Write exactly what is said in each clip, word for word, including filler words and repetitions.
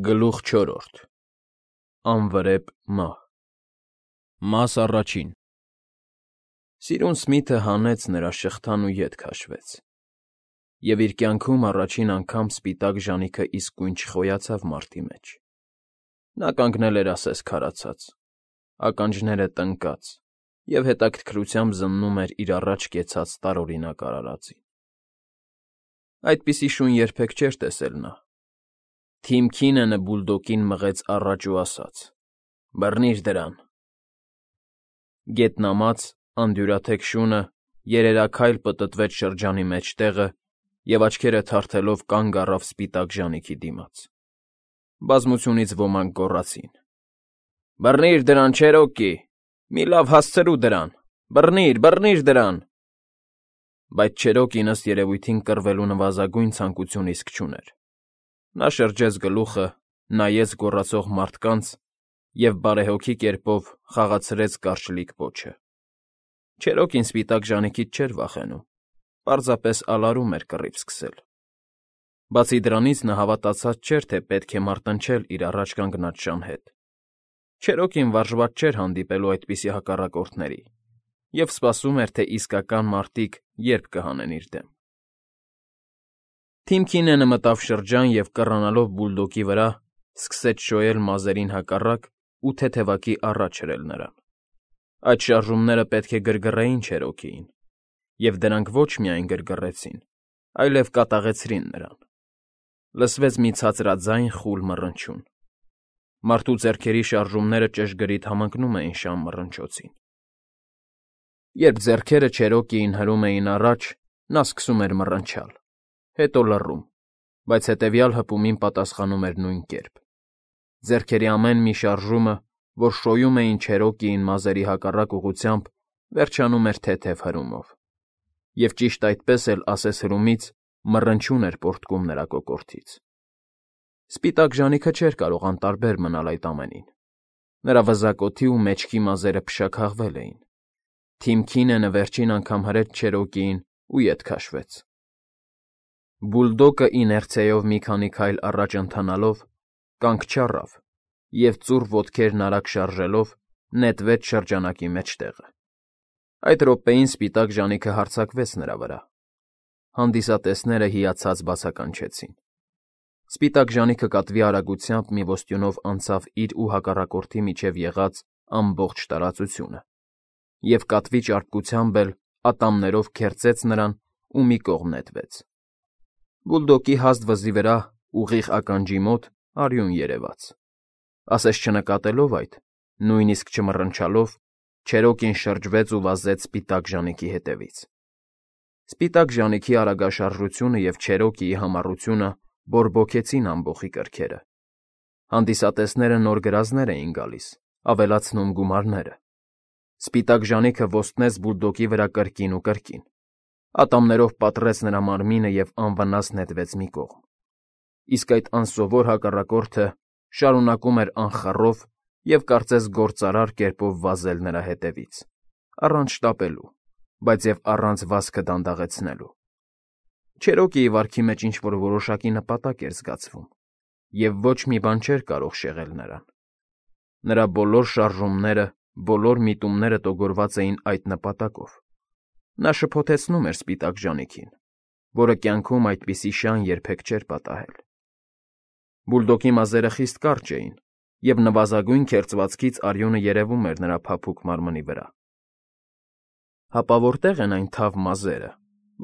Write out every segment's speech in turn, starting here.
Գլուխ չորրորդ Անվրեպ մահ Մաս առաջին Սիրուն Սմիթը հանեց նրա շղթան ու ետ քաշվեց, և իր կյանքում առաջին անգամ սպիտակ ժանիքը իսկույն չխոյացավ մարտի մեջ. նա կանգնել էր ասես քարացած, ականջները տնկած և հետաքրքրությամբ զննում էր իր առաջ կեցած տարօրինակ արարածին. այդպիսի շուն երբեք չէր տեսել նա. Թիմ Քինենը բուլդոգին մղեց առաջ ու ասաց. «Բռնի՛ր դրան»։ Գետնամած, անդյուրաթեք շունը երերաքայլ պտտվեց շրջանի մեջտեղը և աչքերը թարթելով կանգ առավ սպիտակ ժանիքի դիմաց. բազմությունից ոմանք գոռացին. «Բռնի՛ր դրան, Չերոկի, մի լավ հասցրու դրան, բռնի՛ր, բռնի՛ր դրան»։ Բայց Չերոկին, ըստ երևույթին, կռվելու նվազագույն ցանկություն իսկ չուներ. նա շրջեց գլուխը, նայեց գոռացող մարդկանց և բարեհոգի կերպով խաղացրեց կարճլիկ պոչը. Չերոկին սպիտակ ժանիքից չէր վախենում, պարզապես ալարում էր կռիվ սկսել. բացի դրանից նա հավատացած չէր, թե պետք է մարտնչել իր առաջ կանգնած շան հետ. Չերոկին վարժված չէր հանդիպելու այդպիսի հակառակորդների և սպասում էր, թե իսկական մարտիկ երբ կհանեն իր դեմ: Թիմ Քինենը մտավ շրջան և, կռանալով բուլդոգի վրա, սկսեց շոյել մազերին հակառակ ու թեթևակի առաջ հրել նրան: Այդ շարժումները պետք է գրգռեին Չերոկիին, և դրանք ոչ միայն գրգռեցին, այլև կատաղեցրին նրան: Լսվեց մի ցածրաձայն խուլ մռնչյուն. մարդու ձեռքերի շարժումները ճշգրիտ համընկնում էին շան մռնչոցին: Երբ ձեռքերը Չերոկիին հրում էին առաջ, նա սկսում էր մռնչալ, հետո լռում, բայց հետևյալ հպումին պատասխանում էր նույն կերպ: Ձեռքերի ամեն մի շարժումը, որ շոյում էին Չերոկիին մազերի հակառակ ուղղությամբ, վերջանում էր թեթև հրումով: Եվ ճիշտ այդպես էլ ասես հրումից մռնչյուն էր պոռթկում նրա կոկորդից: Սպիտակ ժանիքը չէր կարող անտարբեր մնալ այդ ամենին: նրա վզակոթի ու մեջքի մազերը փշաքաղվել էին: Թիմ Քինենը վերջին անգամ հրեց Չերոկիին ու ետ քաշվեց: Բուլդոգը իներցիայով մի քանի քայլ առաջ ընթանալով, կանգ չառավ և, ծուռ ոտքերն արագ շարժելով, նետվեց շրջանակի մեջտեղը: Այդ րոպեին սպիտակ ժանիքը հարձակվեց նրա վրա: Հանդիսատեսները հիացած բացականչեցին: Սպիտակ ժանիքը կատվի արագությամբ մի ոստյունով անցավ իր ու հակառակորդի միջև եղած ամբողջ տարածությունը և կատվի ճարպկությամբ էլ ատամներով քերծեց նրան ու մի կողմ նետվեց: Բուլդոգի հաստ վզի վրա, ուղիղ ականջի մոտ, արյուն երևաց: Ասես չնկատելով այդ, նույնիսկ չմռնչալով, Չերոկին շրջվեց ու վազեց սպիտակ ժանիքի հետևից: Սպիտակ ժանիքի արագաշարժությունը և Չերոկիի համառությունը բորբոքեցին ամբոխի կրքերը: Հանդիսատեսները նոր գրազներ էին գալիս, ավելացնում գումարները: Սպիտակ ժանիքը ոստնեց բուլդոգի վրա կրկին ու կրկին: Ատամներով պատռեց նրա մարմինը և անվնաս նետվեց մի կողմ: Իսկ այդ անսովոր հակառակորդը շարունակում էր անխառով և կարծես գործարար կերպով վազել նրա հետևից, առանց շտապելու, բայց և առանց վազքը դանդաղեցնելու: Չերոկիի վարքի մեջ ինչ-որ որոշակի նպատակ էր զգացվում և ոչ մի բան չէր կարող շեղել նրան: Նրա բոլոր շարժումները, բոլոր միտումները տոգորված էին այդ նպատակով: Նա շփոթեցնում էր սպիտակ ժանիքին, որը կյանքում այդպիսի շան երբեք չէր պատահել: Բուլդոգի մազերը խիստ կարճ էին և նվազագույն քերծվածքից արյունը երևում էր նրա փափուկ մարմնի վրա: Հապա որտե՞ղ են այն թավ մազերը,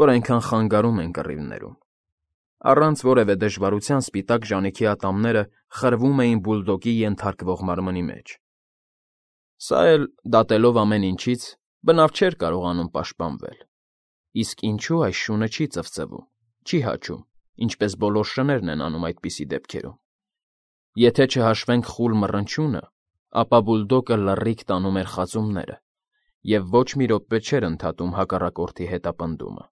որ այնքան խանգարում են կռիվներում: Առանց որևէ դժվարության սպիտակ ժանիքի ատամները խրվում էին բուլդոգի ենթարկվող մարմնի մեջ: Սա էլ, դատելով ամեն ինչից, բնավ չէր կարողանում պաշտպանվել: Իսկ ինչո՞ւ այս շունը չի ծվծվում, չի հաչում, ինչպես բոլոր շներն են անում այդպիսի դեպքերում: Եթե չհաշվենք խուլ մռնչյունը, ապա բուլդոգը լռիք տանում էր խածումները և ոչ մի րոպե չէր ընդհատում հակառակորդի հետապնդումը: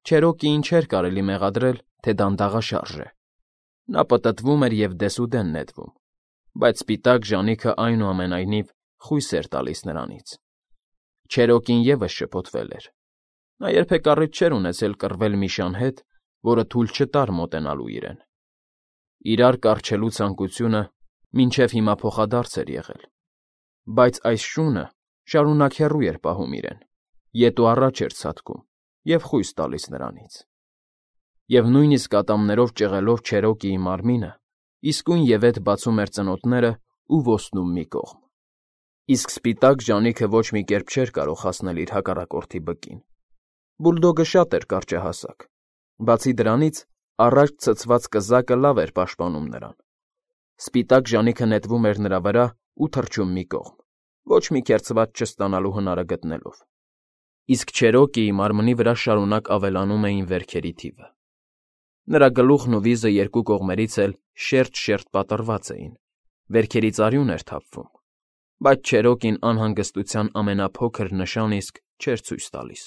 Չերոկիին չէր կարելի մեղադրել, թե դանդաղաշարժ է: Նա պտտվում էր և դեսուդեն նետվում, բայց սպիտակ ժանիքը այնուամենայնիվ խույս էր տալիս նրանից: Չերոկին ևս շփոթվել էր: Նա երբեք առիթ չէր ունեցել կռվել մի շան հետ, որը թույլ չտար մոտենալու իրեն: Իրար կառչելու ցանկությունը մինչև հիմա փոխադարձ էր եղել, բայց այս շունը շարունակ հեռու էր պահում իրեն, ետ ու առաջ էր ցատկում և խույս տալիս նրանից։ Եվ նույնիսկ ատամներով ճեղելով Չերոկիի մարմինը իսկույն ևեթ բացում էր ծնոտները ու ոսնում մի կողմ։ Իսկ սպիտակ ժանիքը ոչ մի կերպ չէր կարող հասնել իր հակառակորդի բկին։ Բուլդոգը շատ էր կարճահասակ, բացի դրանից առաջ ցցված կզակը լավ էր պաշտպանում նրան։ Սպիտակ ժանիքը նետվում էր նրա վրա ու թռչում մի կողմ, ոչ մի քերծված չստանալու հնարը գտնելով։ Իսկ Չերոկիի մարմնի վրա շարունակ ավելանում էին վերքերի թիվը։ Նրա գլուխն ու վիզը երկու կողմերից էլ շերտ֊շերտ պատռված էին, վերքերից արյուն էր թափվում, բայց Չերոկին անհանգստության ամենափոքր նշան իսկ չէր ցույց տալիս։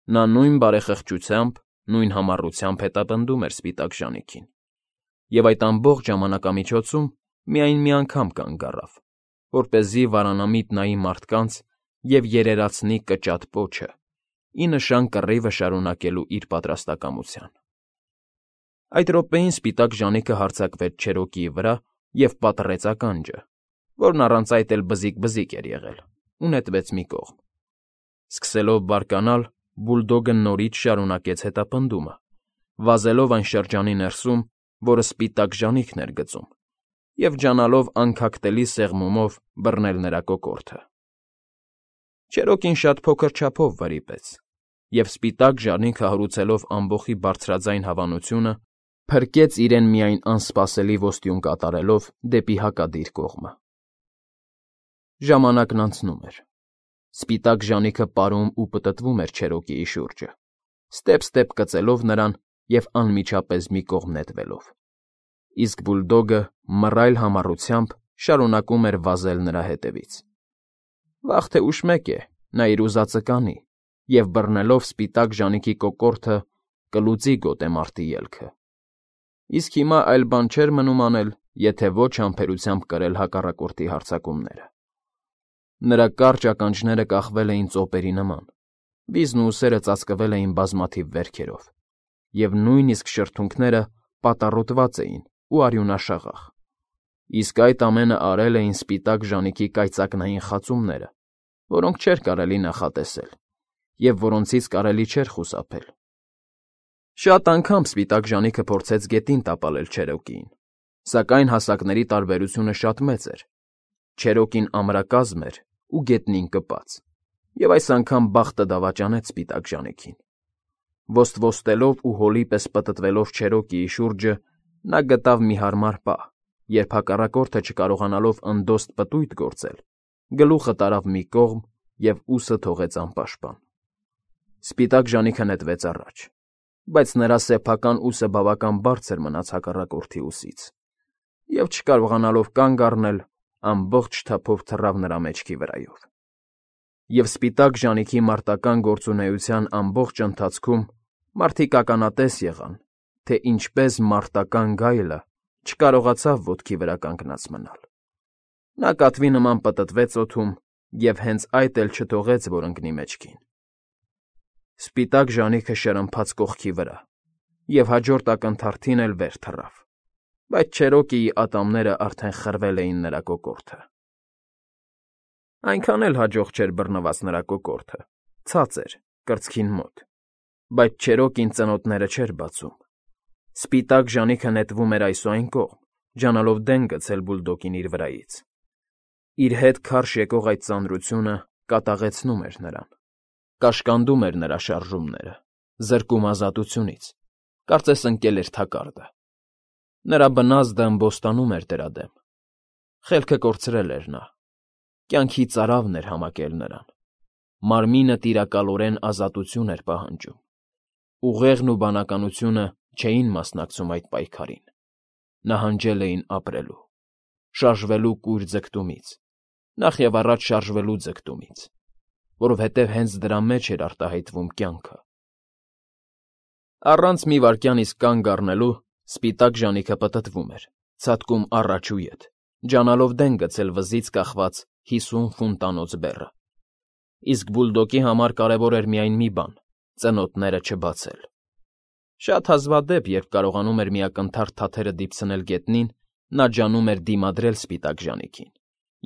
Նա նույն բարեխղճությամբ, նույն համառությամբ հետապնդում էր սպիտակ ժանիքին, և այդ ամբողջ ժամանակամիջոցում միայն մի անգամ կանգ առավ, որպեսզի վարանամիտ նայի մարդկանց և երերացնի կճատ պոչը, ի նշան կռիվը շարունակելու իր պատրաստակամության։ Այդ րոպեին սպիտակ ժանիքը հարձակվեց Չերոկիի վրա և պատռեց ականջը, որն առանց այդ էլ բզիկ֊բզիկ էր եղել, ու նետվեց մի կողմ։ Սկսելով բարկանալ, բուլդոգը նորից շարունակեց հետապնդումը, վազելով այն շրջանի ներսում, որը սպիտակ ժանիքն էր գծում, և ջանալով անքակտելի սեղմումով բռնել նրա կոկորդը։ Չերոկին շատ փոքր չափով վրիպեց, և սպիտակ ժանիքը հարուցելով ամբոխի բարձրաձայն հավանությունը, փրկեց իրեն միայն անսպասելի ոստյուն կատարելով դեպի հակադիր կողմը։ Ժամանակն անցնում էր։ Սպիտակ ժանիքը պարում ու պտտվում էր Չերոկիի շուրջը, ստեպ֊ստեպ կծելով նրան և անմիջապես մի կողմ նետվելով։ Իսկ բուլդոգը մռայլ համառությամբ շարունակում էր վազել նրա հետևից։ Վաղ թե ուշ մեկ է, նա իր ուզածը կանի և, բռնելով սպիտակ ժանիքի կոկորդը, կլուծի գոտեմարտի ելքը։ Իսկ հիմա այլ բան չէր մնում անել, եթե ոչ համբերությամբ կրել հակառակորդի հարձակումները։ Նրա կարճ ականջները կախվել էին ծոպերի նման, վիզն ու ուսերը ծածկվել էին բազմաթիվ վերքերով, և նույնիսկ շրթունքները պատառոտված էին ու արյունաշաղախ։ Իսկ այդ ամենը արել էին սպիտակ ժանիքի կայծակնային խածումները, որոնք չէր կարելի նախատեսել և որոնցից կարելի չէր խուսափել։ Շատ անգամ սպիտակ ժանիքը փորձեց գետին տապալել Չերոկիին, սակայն հասակների տարբերությունը շատ մեծ էր. Չերոկին ամրակազմ էր ու գետնին կպած, և այս անգամ բախտը դավաճանեց սպիտակ ժանիքին։ Ոստվոստելով ու հոլի պես պտտվելով Չերոկիի շուրջը՝ նա գտավ մի հարմար պահ, երբ հակառակորդը չկարողանալով ընդոստ պտույտ գործել, գլուխը տարավ մի կողմ և ուսը թողեց անպաշտպան։ Սպիտակ ժանիքը նետվեց առաջ, բայց նրա սեփական ուսը բավական բարձր մնաց հակառակորդի ուսից, և, չկարողանալով կանգ առնել, ամբողջ թափով թռավ նրա մեջքի վրայով։ Եվ սպիտակ ժանիքի մարտական գործունեության ամբողջ ընթացքում մարդիկ ականատես եղան, թե ինչպես մարտական գայլը չկարողացավ ոտքի վրա կանգնած մնալ։ Նա կատվի նման պտտվեց օդում և հենց այդ էլ չթողեց, որ ընկնի մեջքին։ Սպիտակ ժանիքը շրմփաց կողքի վրա և հաջորդ ակնթարթին էլ վեր թռավ, բայց Չերոկիի ատամները արդեն խրվել էին նրա կոկորդը։ Այնքան էլ հաջող չէր բռնված նրա կոկորդը, ցած էր, կրծքին մոտ, բայց Չերոկին ծնոտները չէր բացում։ Սպիտակ ժանիքը նետվում էր այս ու այն կողմ, ջանալով դեն գցել բուլդոգին իր վրայից։ Իր հետ քարշ եկող այդ ծանրությունը կատաղեցնում էր նրան, կաշկանդում էր նրա շարժումները, զրկում ազատությունից, կարծես ընկել էր թակարդը։ Նրա բնազդը ըմբոստանում էր դրա դեմ։ Խելքը կորցրել էր նա, կյանքի ծարավն էր համակել նրան, մարմինը տիրակալորեն ազատություն էր պահանջում։ Ուղեղն ու բանականությունը չէին մասնակցում այդ պայքարին, նահանջել էին ապրելու, շարժվելու կույր ձգտումից, նախևառաջ շարժվելու ձգտումից, որովհետև հենց դրա մեջ էր արտահայտվում կյանքը։ Առանց մի վայրկյան իսկ կանգ առնելու սպիտակ ժանիքը պտտվում էր, ցատկում առաջ ու ետ, ջանալով դեն գցել վզից կախված հիսուն ֆունտանոց բեռը։ Իսկ բուլդոգի համար կարևոր էր միայն մի բան՝ ծնոտները չբացել։ Շատ հազվադեպ, երբ կարողանում էր միակնթարթ թաթերը դիպցնել գետնին, նա ջանում էր դիմադրել սպիտակ ժանիքին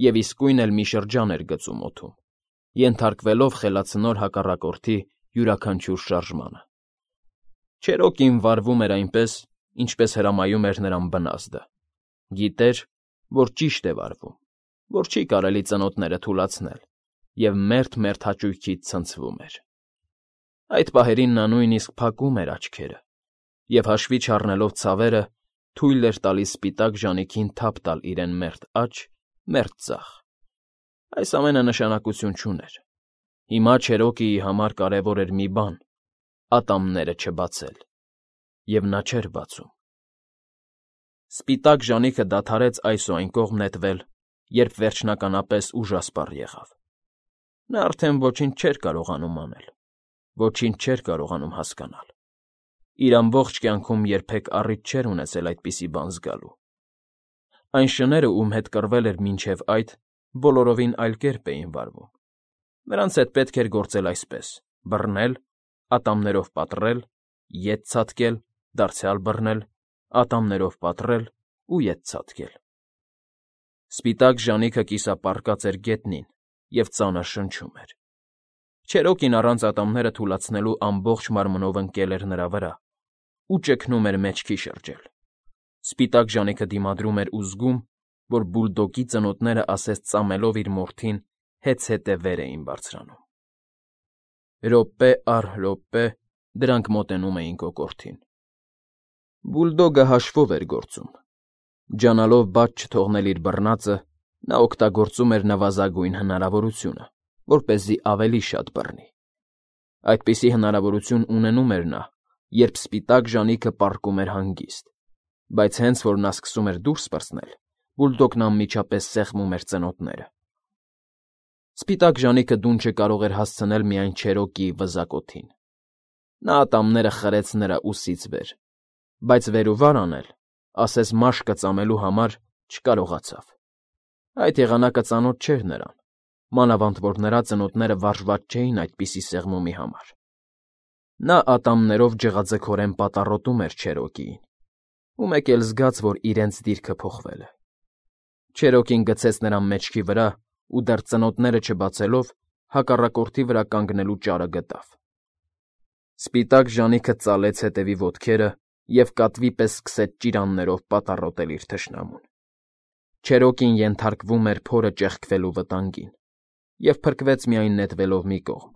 և իսկույն էլ մի շրջան էր գծում օդում, ենթարկվելով խելացնոր հակառակորդի յուրաքանչյուր շարժմանը։ Չերոկին վարվում էր այնպես, ինչպես հրամայում էր նրան բնազդը. գիտեր, որ ճիշտ է վարվում, որ չի կարելի ծնոտները թուլացնել, և մերթ-մերթ հաճույքից ցնցվում էր։ Այդ պահերին նա նույնիսկ փակում էր աչքերը և, հաշվի չառնելով ցավերը, թույլ էր տալիս սպիտակ ժանիքին թափ տալ իրեն մերթ աջ, մերթ ձախ։ Այս ամենը նշանակություն չուներ։ Հիմա Չերոկիի համար կարևոր էր մի բան՝ ատամները չբացել, և նա չէր բացում։ Սպիտակ ժանիքը դադարեց այս ու այն կողմ նետվել, երբ վերջնականապես ուժասպառ եղավ։ Նա արդեն ոչինչ չէր կարողանում անել, ոչինչ չէր կարողանում հասկանալ։ Իր ամբողջ կյանքում երբեք առիթ չէր ունեցել այդպիսի բան զգալու։ Այն շները, ում հետ կռվել էր մինչև այդ, բոլորովին այլ կերպ էին վարվում։ Նրանց հետ պետք էր գործել այսպես. բռնել, ատամներով պատռել, ետ ցատկել, դարձյալ բռնել, ատամներով պատռել ու ետ ցատկել։ Սպիտակ ժանիքը կիսապառկած էր գետնին և ծանր շնչում էր։ Չերոկին առանց ատամները թուլացնելու ամբողջ մարմնով ընկել էր նրա վրա ու ճգնում էր մեջքի շրջել։ Սպիտակ ժանիքը դիմադրում էր ու զգում, որ բուլդոգի ծնոտները ասես ծամելով իր մորթին հեծհետե վեր էին բարձրանում։ Րոպե առ րոպե դրանք մոտենում էին կոկորդին։ Բուլդոգը հաշվով էր գործում։ Ջանալով բաց չթողնել իր բռնածը, նա օգտագործում էր նվազագույն հնարավորությունը, որպեսզի ավելի շատ բռնի։ Այդպիսի հնարավորություն ունենում էր նա, երբ սպիտակ ժանիքը պառկում էր հանգիստ, բայց հենց որ նա սկսում էր դուրս պրծնել, բուլդոգն անմիջապես սեղմում էր ծնոտները։ Սպիտակ ժանիքը դունչը կարող էր հասցնել միայն Չերոկիի վզակոթին։ Նա ատամները խրեց նրա ուսից վեր, բայց վեր ու վար անել, ասես մաշկը ծամելու համար, չկարողացավ։ Այդ եղանակը ծանոթ չէր նրան, մանավանդ որ նրա ծնոտները վարժված չէին այդպիսի սեղմումի համար։ Նա ատամներով ջղաձգորեն պատառոտում էր Չերոկիին, ու մեկ էլ զգաց, որ իրենց դիրքը փոխվել է։ Չերոկին գցեց նրան մեջքի վրա ու դեռ ծնոտները չբացելով, հակառակորդի վրա կանգնելու ճարը գտավ։ Սպիտակ ժանիքը ծալեց հետևի ոտքերը և կատվի պես սկսեց ճիրաններով պատառոտել իր թշնամուն։ Չերոկին ենթարկվում էր փորը ճեղքվելու վտանգին և փրկվեց միայն նետվելով մի կողմ,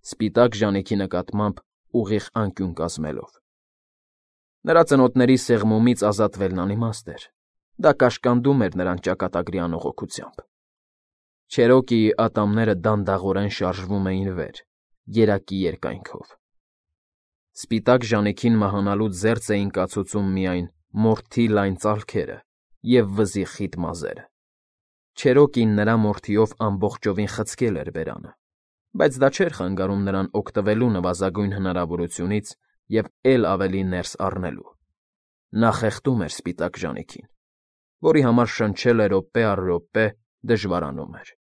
սպիտակ ժանիքի նկատմամբ ուղիղ անկյուն կազմելով։ Նրա ծնոտների սեղմումից ազատվելն անիմաստ էր, դա կաշկանդում էր նրան ճակատագրի անողոքությամբ։ Չերոկիի ատամները դանդաղորեն շարժվում էին վեր, երակի երկայնքով։ Սպիտակ ժանիքին մահանալուց զերծ էին կացուցում միայն մորթի լայն ծալքերը և վզի խիտ մազերը։ Չերոկին նրա մորթիով ամբողջովին խցկել էր բերանը, բայց դա չէր խանգարում նրան օգտվելու նվազագույն հնարավորությունից և էլ ավելի ներս առնելու։ Նա խեղդում էր սպիտակ ժանիքին, որի համար շնչելը րոպե առ րոպե դժվարանում էր։